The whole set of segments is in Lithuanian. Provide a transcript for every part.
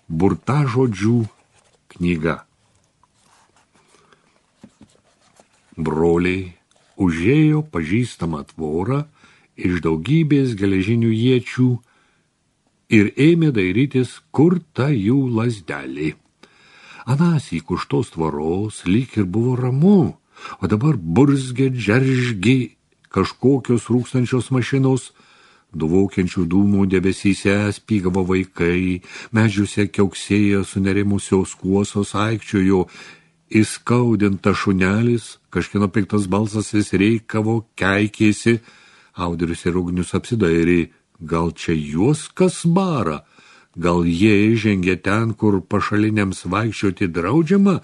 Burtažodžių knyga. Broliai užėjo pažįstamą tvorą iš daugybės geležinių iečių ir ėmė dairytis, kur ta jų lazdelė. Anąsyk už tos tvoros lyg ir buvo ramu, o dabar burzgė, džeržgė kažkokios rūkstančios mašinos, dvokiančių dūmų debesyse spygavo vaikai, medžiuose kiauksėjo sunerimusios kuosos, aikčiojo įskaudinta šunelis, kažkieno piktas balsas vis reikavo, keikėsi. Audrius ir Ugnius apsidairė, gal čia juos kas bara, gal jie žengė ten, kur pašaliniams vaikščioti draudžiama,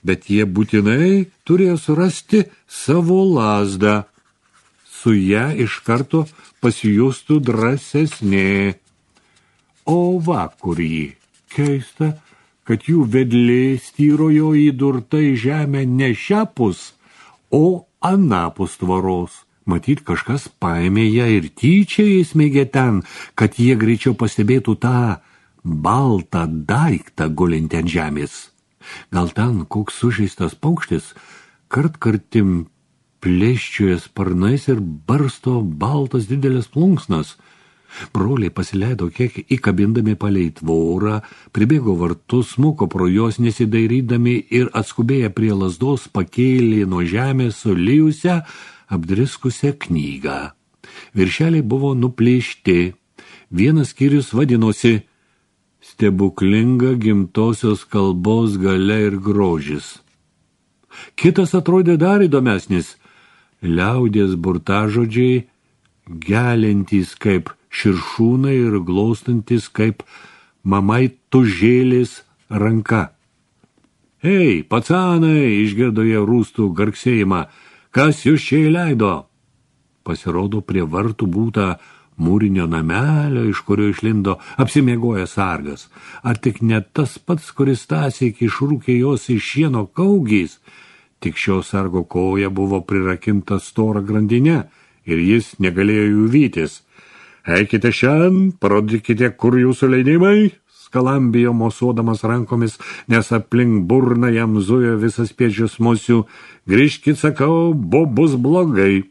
bet jie būtinai turėjo surasti savo lazdą. Su ją iš karto pasijustų drąsesnė. O va, kur jį. Keista, kad jų vedlė styrojo įdurta į žemę ne šiapus, o anapus tvoros. Matyt, kažkas paėmė ją ir tyčia įsmeigė ten, kad jie greičiau pastebėtų tą baltą daiktą gulintį ant žemės. Gal ten koks sužeistas paukštis, kartkartim plėščioja sparnais ir barsto baltas didelės plunksnas. Broliai pasileido kiek įkabindami palei tvorą, pribėgo vartus, smuko pro jos nesidairydami ir atskubėję prie lazdos pakėlė nuo žemės sulijusią, apdriskusią knygą. Viršeliai buvo nuplėšti. Vienas skyrius vadinosi Stebuklinga gimtosios kalbos galia ir grožis. Kitas atrodė dar įdomesnis. Liaudies burtažodžiai, gelintys kaip širšūnai ir glaustantis kaip mamai tužėlės ranka. Ei, pacanai, išgirdo jie rūstų garksėjimą, kas jūs čia įleido? Pasirodo, prie vartų būta mūrinio namelio, iš kurio išlindo apsimiegoję sargas. Ar tik ne tas pats, kuris tąsyk išrūkė jos iš šieno kaugys? Tik šio sargo koja buvo prirakinta stora grandinė ir jis negalėjo jų vytis. Eikite šiandien, parodykite, kur jūsų leidimai, skalambijo mosuodamas rankomis, nes aplink burną jam zujo visas pėdžius musių. Grįžkit, sakau, bus blogai.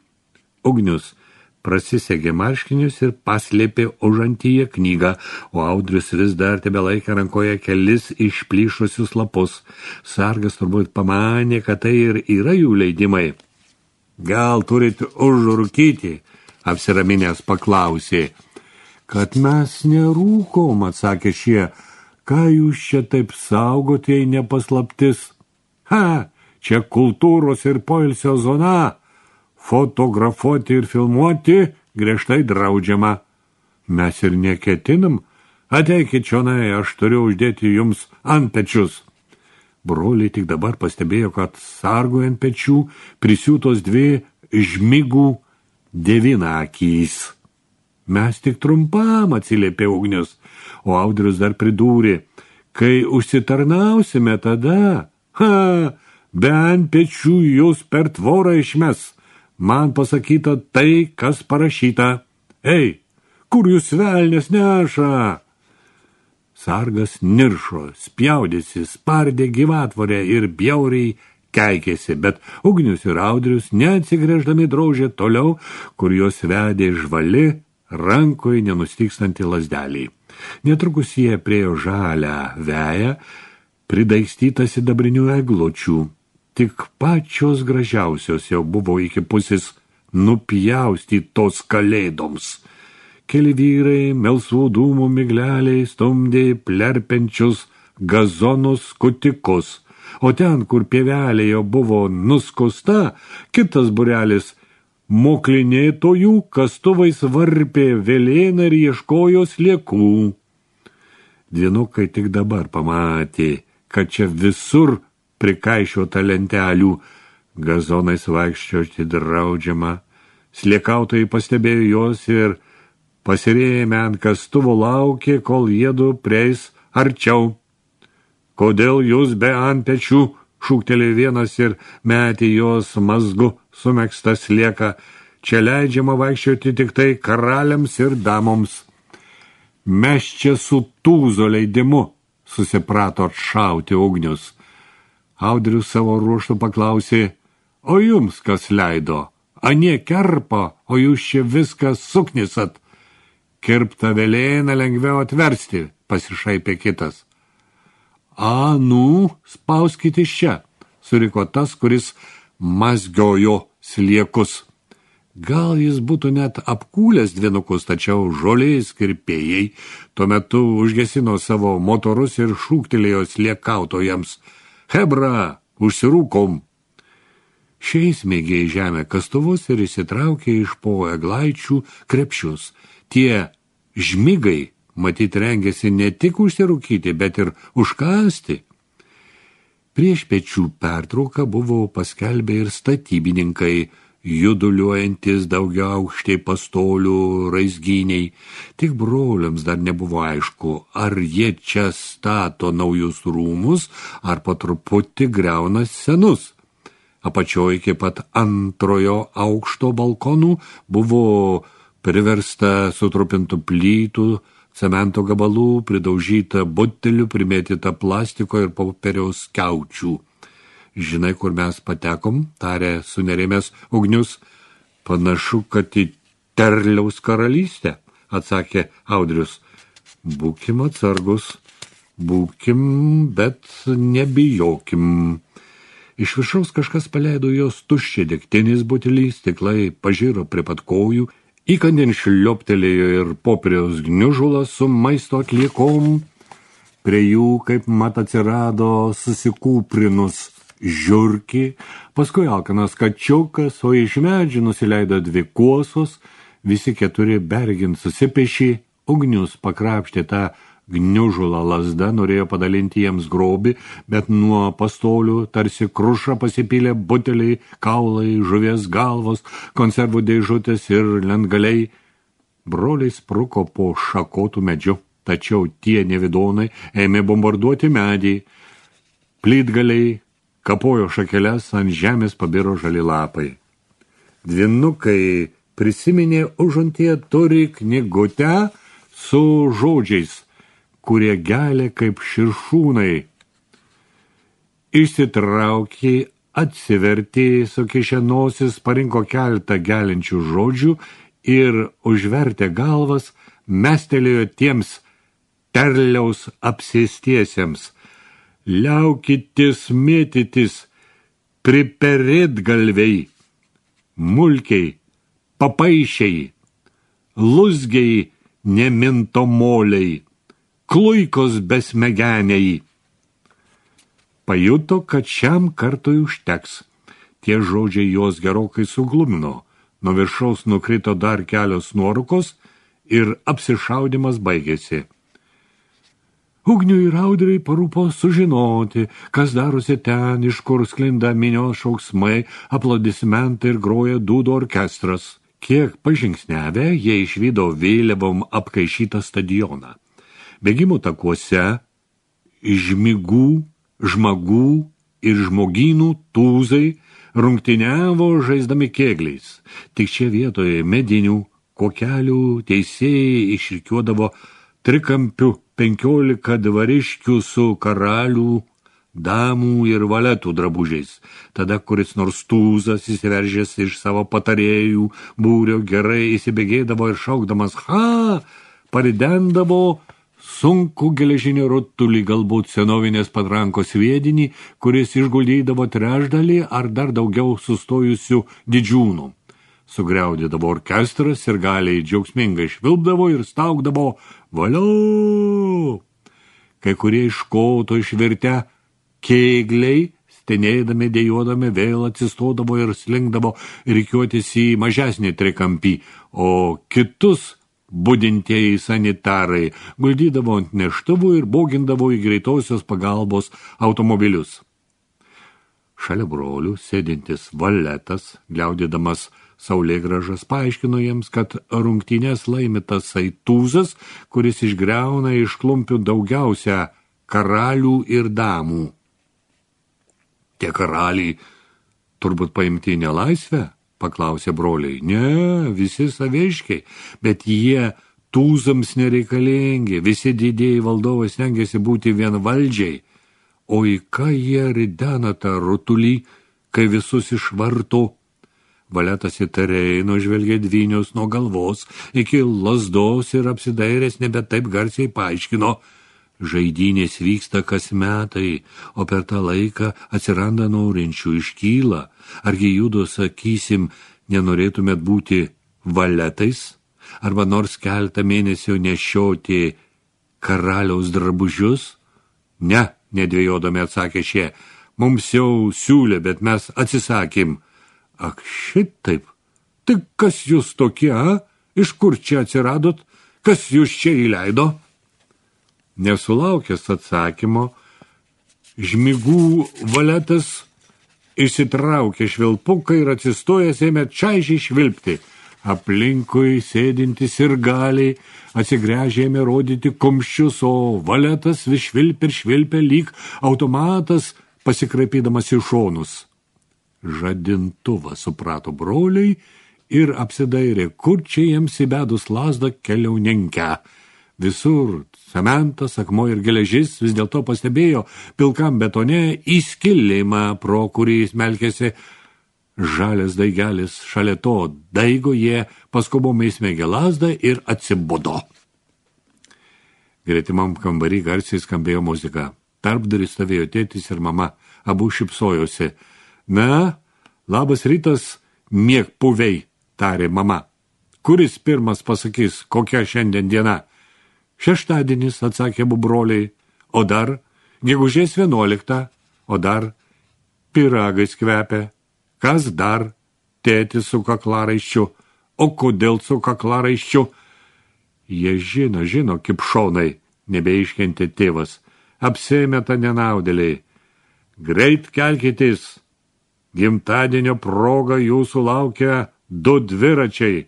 Ugnius prasisegė marškinius ir paslėpė užantyje knygą, o Audrius vis dar tebelaikė rankoje kelis išplyšusius lapus. Sargas turbūt pamanė, kad tai ir yra jų leidimai. Gal turit užrūkyti, apsiraminęs paklausė. Kad mes nerūkom, atsakė šie. Ką jūs čia taip saugot, jei nepaslaptis? Ha, čia kultūros ir poilsio zona. Fotografuoti ir filmuoti griežtai draudžiama. Mes ir neketinam. Ateikit čionai, aš turiu uždėti jums ant pečius. Broliai tik dabar pastebėjo, kad sargui ant pečių prisiūtos dvi žmigų devynakys. Mes tik trumpam, atsiliepė Ugnius, o Audrius dar pridūrė, kai užsitarnausime tada, be ant pečių jūs per tvorą išmes. Man pasakyta tai, kas parašyta. Ei, kur jūs velnės neša? Sargas niršo, spjaudėsi, spardė gyvatvorę ir bjauriai keikėsi, bet Ugnius ir Audrius neatsigręždami drožė toliau, kur jos vedė žvali, rankoje nenustykstanti lazdelį. Netrukus jie priejo žalią veją, pridaikstytą sidabrinių eglučių. Tik pačios gražiausios jau buvo iki pusės nupjaustytos kalėdoms. Keli vyrai melsvų dūmų migleliai stumdė plerpenčius gazonus skutikus, o ten, kur pievelė jau buvo nuskusta, kitas būrelis moklinėtojų kastuvais varpė velėną ir ieškojo sliekų. Dvynukai tik dabar pamatė, kad čia visur prikaišiota lentelių, gazonais vaikščioti draudžiama. Sliekautojai pastebėjo jos ir pasirėmę ant kastuvo laukė, kol jiedu prieis arčiau. Kodėl jūs be ant pečių, šūktelėjo vienas ir metė jos mazgu sumegztą slieką. Čia leidžiama vaikščioti tik tai karaliams ir damoms. Mes čia su tūzo leidimu, susiprato atšauti ugnius. Audrius savo ruožtu paklausė, o jums kas leido? Anie kerpa, o jūs čia viską suknisat. Kirptą velėną lengviau atversti, pasišaipė kitas. A, spauskit iš čia, suriko tas, kuris mazgiojo sliekus. Gal jis būtų net apkūlęs dvinukus, tačiau žolės kirpėjai tuo metu užgesino savo motorus ir šūktelėjo sliekautojams. Hebra, užsirūkom! Šiais mėgė į žemę kastuvus ir įsitraukė iš po eglaičių krepšius. Tie žmigai, matyt, rengėsi ne tik užsirūkyti, bet ir užkasti. Prieš pečių pertrauką buvo paskelbę ir statybininkai, juduliuojantis daugiaaukštiai pastolių raizgyniai. Tik broliams dar nebuvo aišku, ar jie čia stato naujus rūmus, ar po truputį griauna senus. Apačioje iki pat antrojo aukšto balkonų buvo priversta sutrupintų plytų, cemento gabalų, pridaužyta butelių, primėtyta plastiko ir popieriaus skiaučių. Žinai, kur mes patekom, tarė sunerimęs Ugnius. Panašu, kad į Terliaus karalystę, atsakė Audrius. Būkim atsargus, bet nebijokim. Iš viršaus kažkas paleido jos tuščią degtinės butelį, stiklai pažiro prie pat kojų, įkandin šlioptelėjo ir popieriaus gniužulas su maisto atliekom. Prie jų, kaip mat, atsirado susikūprinus žiurkį, paskui alkanas kačiukas, o iš medžių nusileido 2 kuosos, visi 4 bergint susipešė. Ugnius pakrapštė tą gniužulą lazda, norėjo padalinti jiems grobį, bet nuo pastolių tarsi kruša pasipylė buteliai, kaulai, žuvies galvos, konservų dėžutės ir lentgaliai. Broliai spruko po šakotų medžiu, tačiau tie nevidonai ėmė bombarduoti medį. Plytgaliai kapojo šakeles, ant žemės pabiro žali lapai. Dvinukai prisiminė užantyje turi knygutę su žodžiais, kurie gelia kaip širšūnai. Išsitraukė, atsivertė, sukišė nosis, parinko keletą geliančių žodžių ir užvertė galvas, mestelėjo tiems Terliaus apsėstiesiems. Liaukitis mėtytis, priperėt galviai, mulkiai, papaišiai, luzgiai, nemintomoliai, kluikos besmegeniai. Pajuto, kad šiam kartui užteks. Tie žodžiai jos gerokai suglumino. Nuo viršaus nukrito dar kelios nuorūkos ir apsišaudimas baigėsi. Ugniui ir Audriui parūpo sužinoti, kas darosi ten, iš kur sklinda minios šauksmai, aplodismentai ir groja dūdų orkestras. Kiek pažingsnevę, jie išvydo vėliavom apkaišytą stadioną. Bėgimų takuose žmigų, žmagų ir žmogynų tūzai rungtyniavo žaisdami kėgliais. Tik čia vietoje medinių kokelių teisėjai išrikiuodavo trikampių 15 dvariškių su karalių, damų ir valetų drabužiais. Tada kuris nors tūzas įsiveržęs iš savo patarėjų būrio gerai įsibėgėdavo ir šaukdamas ha, paridendavo sunku geležinį rutulį, galbūt senovinės patrankos sviedinį, kuris išguldydavo trečdalį ar dar daugiau sustojusių didžiūnų. Sugriaudydavo orkestras ir galiai džiaugsmingai švilpdavo ir staugdavo valio. Kai kurie iš koto išvirtę kėgliai, stenėdami, dėjuodami, vėl atsistodavo ir slinkdavo rikiuotis į mažesnį trikampį, o kitus budintieji sanitarai guldydavo ant neštuvų ir bogindavo į greitosios pagalbos automobilius. Šalia brolių sėdintis valetas, gliaudydamas saulėgražas, paaiškino jiems, kad rungtynės laimi tasai tūzas, kuris išgriauna iš klumpių daugiausia karalių ir damų. Tie karaliai turbūt paimti į nelaisvę, paklausė broliai. Ne, visi saviškiai, bet jie tūzams nereikalingi, visi didieji valdovai stengiasi būti vienvaldžiai, o į ką jie ridena tą rutulį, kai visus išvarto. Valetas įtariai nužvelgė dvynius nuo galvos iki lazdos ir apsidairęs nebe taip garsiai paaiškino. Žaidynės vyksta kas metai, o per tą laiką atsiranda norinčių, iškyla. Argi judu, sakysim, nenorėtumėt būti valetais? Arba nors keltą mėnesių nešioti karaliaus drabužius? Ne, nedvejodami atsakė šie, mums jau siūlė, bet mes atsisakėm. Ak, šitaip, tai kas jūs tokie, a? Iš kur čia atsiradot? Kas jūs čia įleido? Nesulaukęs atsakymo, žmigų valetas išsitraukė švilpuką ir atsistojęs ėmė čaižiai švilpti. Aplinkui sėdintis ir galiai atsigręžė ėmė rodyti kumščius, o valetas vis švilpė ir švilpė lyg automatas pasikraipydamas į šonus. Žadintuvą suprato broliai ir apsidairė, kur čia jiems įbedus lazdą keliauninkę. Visur cementas, akmuo ir geležis vis dėlto pastebėjo pilkam betone įskilimą, pro kurį smelkėsi žalias daigelis. Šalia to daigo jie paskubomai įsmegė lazdą ir atsibudo. Gretimam kambarį garsiai skambėjo muzika. Tarpdurį stovėjo tėtis ir mama, abu šypsojosi. Na, labas rytas, miegpuviai, tarė mama. Kuris pirmas pasakys, kokia šiandien diena? Šeštadienis, atsakė abu broliai, o dar gegužės 11, o dar pyragais kvepia. Kas dar? Tėtis su kaklaraiščiu. O kodėl su kaklaraiščiu? Jie žino, kipšonai, nebeiškentė tėvas. Apsimeta nenaudėliai. Greit kelkitės. Gimtadienio proga jūsų laukia 2 dviračiai.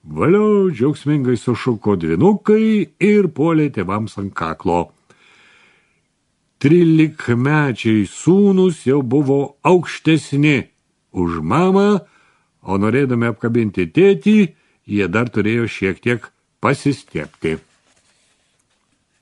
Valiau, džiaugsmingai sušuko dvynukai ir puolė tėvams ant kaklo. 13-mečiai sūnus jau buvo aukštesni už mamą, o norėdami apkabinti tėtį, jie dar turėjo šiek tiek pasistiepti.